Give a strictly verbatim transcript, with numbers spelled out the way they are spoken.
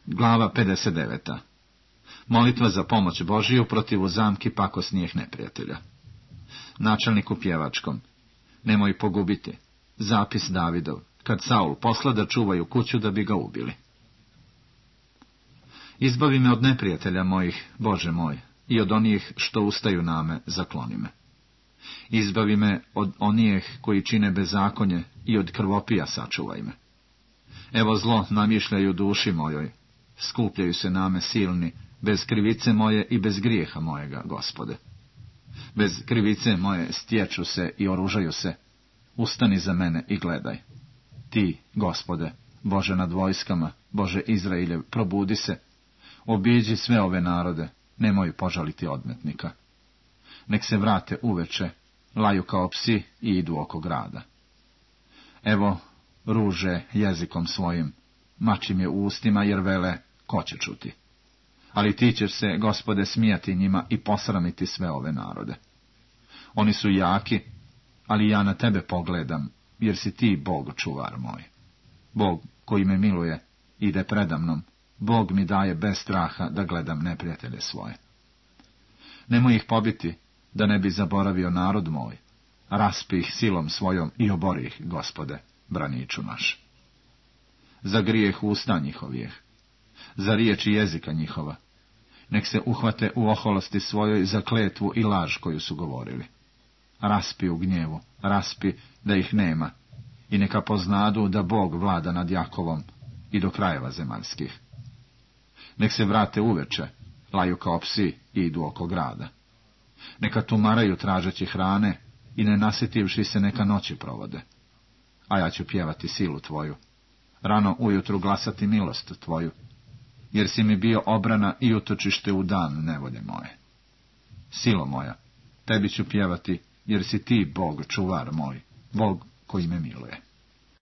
Glava pedeset deveta. Molitva za pomoć Božiju protiv zamki pakosnijih neprijatelja. Načelniku pjevačkom. Nemoj pogubiti. Zapis Davidov. Kad Saul posla da čuvaju kuću da bi ga ubili. Izbavi me od neprijatelja mojih, Bože moj, i od onih što ustaju name, zakloni me. Izbavi me od onih koji čine bezakonje i od krvopija sačuvaj me. Evo zlo namišljaju duši mojoj, skupljaju se name silni, bez krivice moje i bez grijeha mojega, Gospode. Bez krivice moje stječu se i oružaju se, ustani za mene i gledaj. Ti, Gospode, Bože nad vojskama, Bože Izrailjev, probudi se, obiđi sve ove narode, nemoj požaliti odmetnika. Nek se vrate uveče, laju kao psi i idu oko grada. Evo, ruže jezikom svojim, mačim je u ustima, jer vele, ko će čuti? Ali ti ćeš se, Gospode, smijati njima i posramiti sve ove narode. Oni su jaki, ali ja na tebe pogledam, jer si ti Bog čuvar moj. Bog koji me miluje, ide predamnom, Bog mi daje bez straha da gledam neprijatelje svoje. Nemoj ih pobiti, da ne bi zaboravio narod moj, raspi ih silom svojom i obori ih, Gospode, braniču naš. Za grijeh usta njihovih, za riječi jezika njihova, nek se uhvate u oholosti svojoj za kletvu i laž koju su govorili. Raspi u gnjevu, raspi da ih nema, i neka poznadu da Bog vlada nad Jakovom i do krajeva zemaljskih. Nek se vrate uveče, laju kao psi i idu oko grada. Neka tumaraju tražeći hrane i ne nasjetivši se neka noći provode. A ja ću pjevati silu tvoju, rano ujutru glasati milost tvoju, jer si mi bio obrana i utočište u dan nevolje moje. Silo moja, tebi ću pjevati, jer si ti Bog čuvar moj, Bog koji me miluje.